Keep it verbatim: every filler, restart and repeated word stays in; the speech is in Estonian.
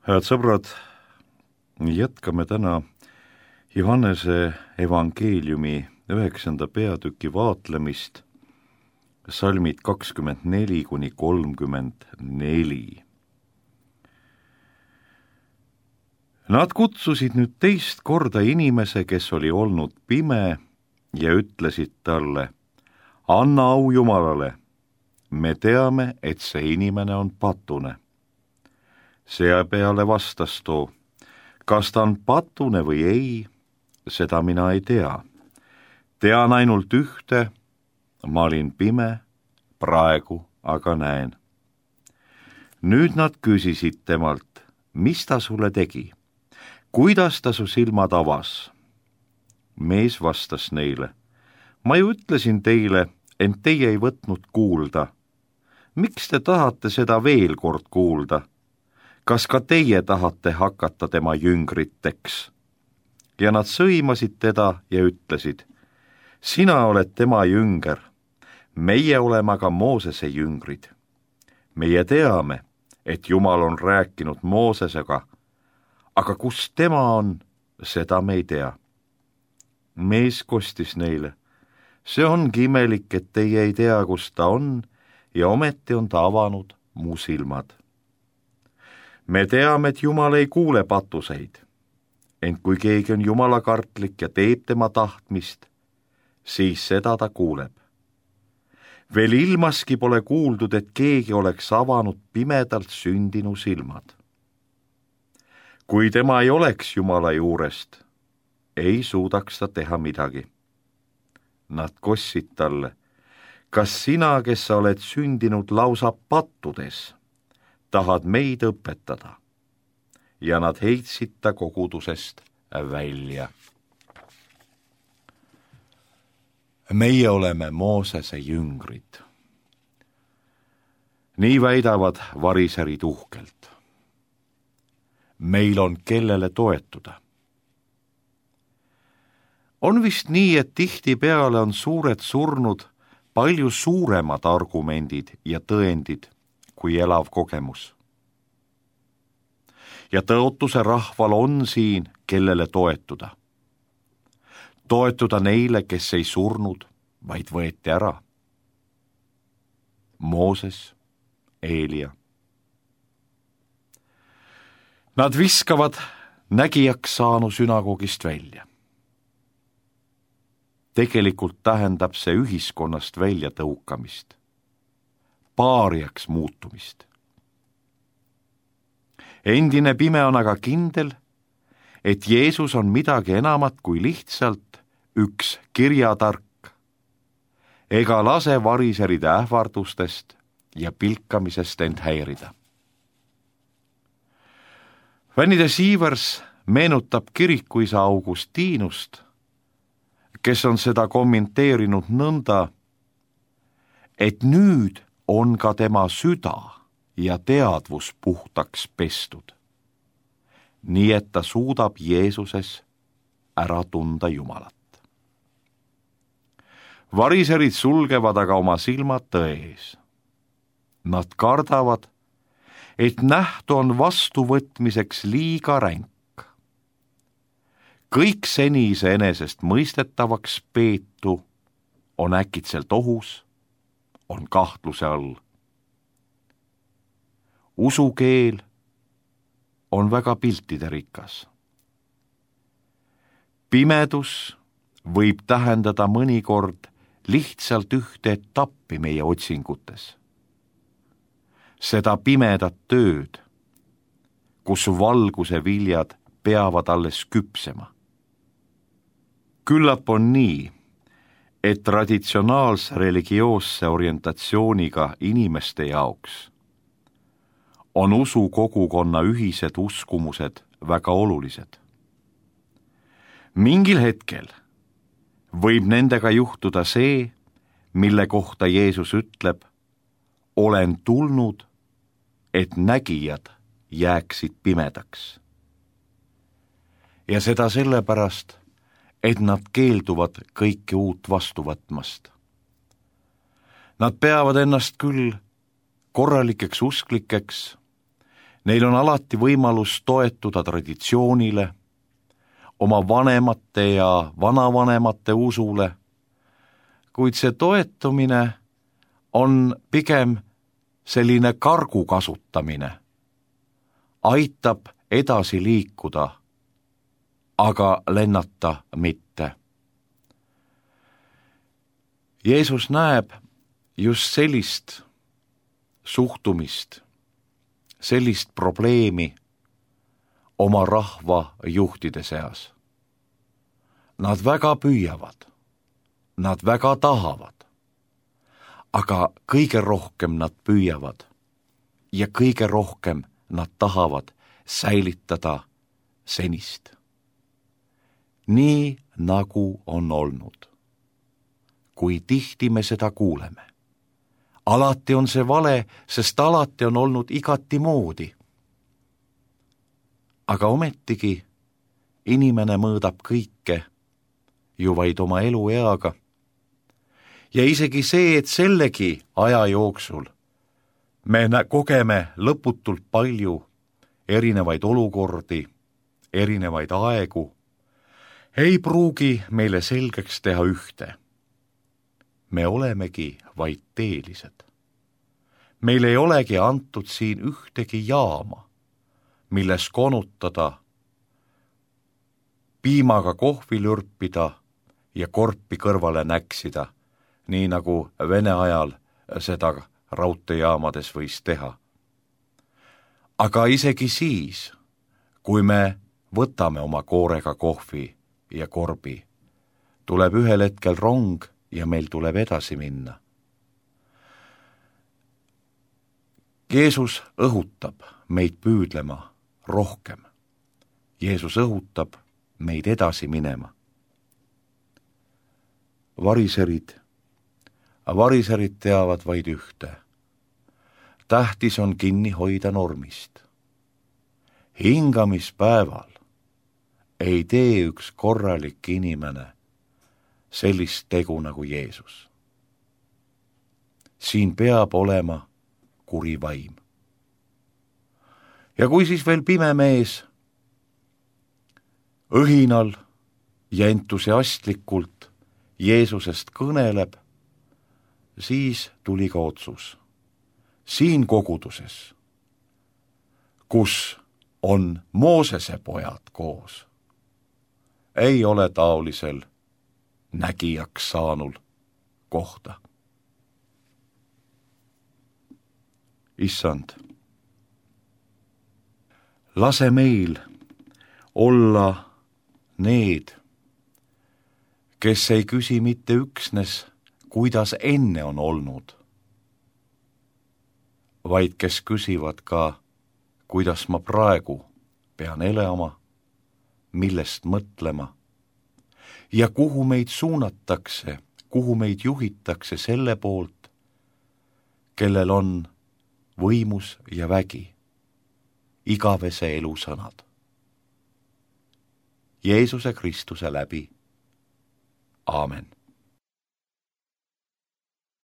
Head sõbrad, jätkame täna Johannese evangeeliumi üheksanda peatüki vaatlemist, salmid kakskümmend neli kuni kolmkümmend neli. Nad kutsusid nüüd teist korda inimese, kes oli olnud pime, ja ütlesid talle: anna au Jumalale, me teame, et see inimene on patune. Seepeale vastas too: kas ta on patune või ei, seda mina ei tea. Tean ainult ühte, ma olin pime, praegu aga näen. Nüüd nad küsisid temalt: mis ta sulle tegi? Kuidas ta su silmad avas? Mees vastas neile: ma ju ütlesin teile, ent teie ei võtnud kuulda. Miks te tahate seda veel kord kuulda? Kas ka teie tahate hakata tema jüngriteks? Ja nad sõimasid teda ja ütlesid: sina oled tema jünger, meie oleme aga Moosese jüngrid. Meie teame, et Jumal on rääkinud Moosesega, aga kus tema on, seda me ei tea. Mees kostis neile: see ongi imelik, et teie ei tea, kus ta on, ja ometi on ta avanud mu silmad. Me teame, et Jumal ei kuule patuseid, ent kui keegi on jumalakartlik ja teeb tema tahtmist, siis seda ta kuuleb. Veel ilmaski pole kuuldud, et keegi oleks avanud pimedalt sündinu silmad. Kui tema ei oleks Jumala juurest, ei suudaks ta teha midagi. Nad kossid talle: kas sina, kes sa oled sündinud lausa pattudes, tahad meid õpetada? Ja nad heitsid ta kogudusest välja. Meie oleme Moosese jüngrid. Nii väidavad variserid uhkelt. Meil on kellele toetuda. On vist nii, et tihtipeale on suured surnud palju suuremad argumendid ja tõendid kui elav kogemus. Ja tõotuse rahval on siin, kellele toetuda. Toetuda neile, kes ei surnud, vaid võeti ära. Mooses, Eelia. Nad viskavad nägijaks saanu sünagogist välja. Tegelikult tähendab see ühiskonnast välja tõukamist, paariaks muutumist. Endine pime on aga kindel, et Jeesus on midagi enamat kui lihtsalt üks kirjatark, ega lase variseride ähvardustest ja pilkamisest end häirida. Vänide Siivers meenutab kirikuisa Augustinust, kes on seda kommenteerinud nõnda, et nüüd on ka tema süda ja teadvus puhtaks pestud, nii et ta suudab Jeesuses ära tunda Jumalat. Variserid sulgevad aga oma silmad tõe ees. Nad kardavad, et nähtu on vastuvõtmiseks liiga ränk. Kõik seni iseenesest mõistetavaks peetu on äkitselt ohus, on kahtluse all. Usukeel on väga piltide rikas. Pimedus võib tähendada mõnikord lihtsalt ühte etappi meie otsingutes. Seda pimedat tööd, kus valguse viljad peavad alles küpsema. Küllap on nii, et traditsionaalse religioosse orientatsiooniga inimeste jaoks on usu kogukonna ühised uskumused väga olulised. Mingil hetkel võib nendega juhtuda see, mille kohta Jeesus ütleb: olen tulnud, et nägijad jääksid pimedaks. Ja seda sellepärast, et nad keelduvad kõike uut vastu võtmast. Nad peavad ennast küll korralikeks usklikeks Neil on alati võimalus toetuda traditsioonile, oma vanemate ja vanavanemate usule, kuid see toetumine on pigem selline kargu kasutamine, aitab edasi liikuda, aga lennata mitte. Jeesus näeb just sellist suhtumist, sellist probleemi oma rahva juhtide seas. Nad väga püüavad, nad väga tahavad, aga kõige rohkem nad püüavad ja kõige rohkem nad tahavad säilitada senist. Nii nagu on olnud. Kui tihti me seda kuuleme. Alati on see vale, sest alati on olnud igati moodi. Aga ometigi inimene mõõdab kõike ju vaid oma elueaga. Ja isegi see, et sellegi aja jooksul me kogeme lõputult palju erinevaid olukordi, erinevaid aegu, ei pruugi meile selgeks teha ühte. Me olemegi vaid teelised. Meil ei olegi antud siin ühtegi jaama, milles konutada, piimaga kohvi lürpida ja korpi kõrvale näksida, nii nagu Vene ajal seda raudteejaamades võis teha. Aga isegi siis, kui me võtame oma koorega kohvi ja korbi, tuleb ühel hetkel rong ja meil tuleb edasi minna. Jeesus õhutab meid püüdlema rohkem. Jeesus õhutab meid edasi minema. Variserid, variserid teavad vaid ühte. Tähtis on kinni hoida normist. Hingamispäeval ei tee üks korralik inimene sellist tegu nagu Jeesus. Siin peab olema kuri vaim. Ja kui siis veel pime mees õhinal ja entusiastlikult Jeesusest kõneleb, siis tuli ka otsus. Siin koguduses, kus on Moosese pojad koos, ei ole taolisel nägijaks saanul kohta. Issand, lase meil olla need, kes ei küsi mitte üksnes, kuidas enne on olnud, vaid kes küsivad ka, kuidas ma praegu pean elama, millest mõtlema ja kuhu meid suunatakse, kuhu meid juhitakse selle poolt, kellel on võimus ja vägi, igavese elu sõnad. Jeesuse Kristuse läbi. Aamen.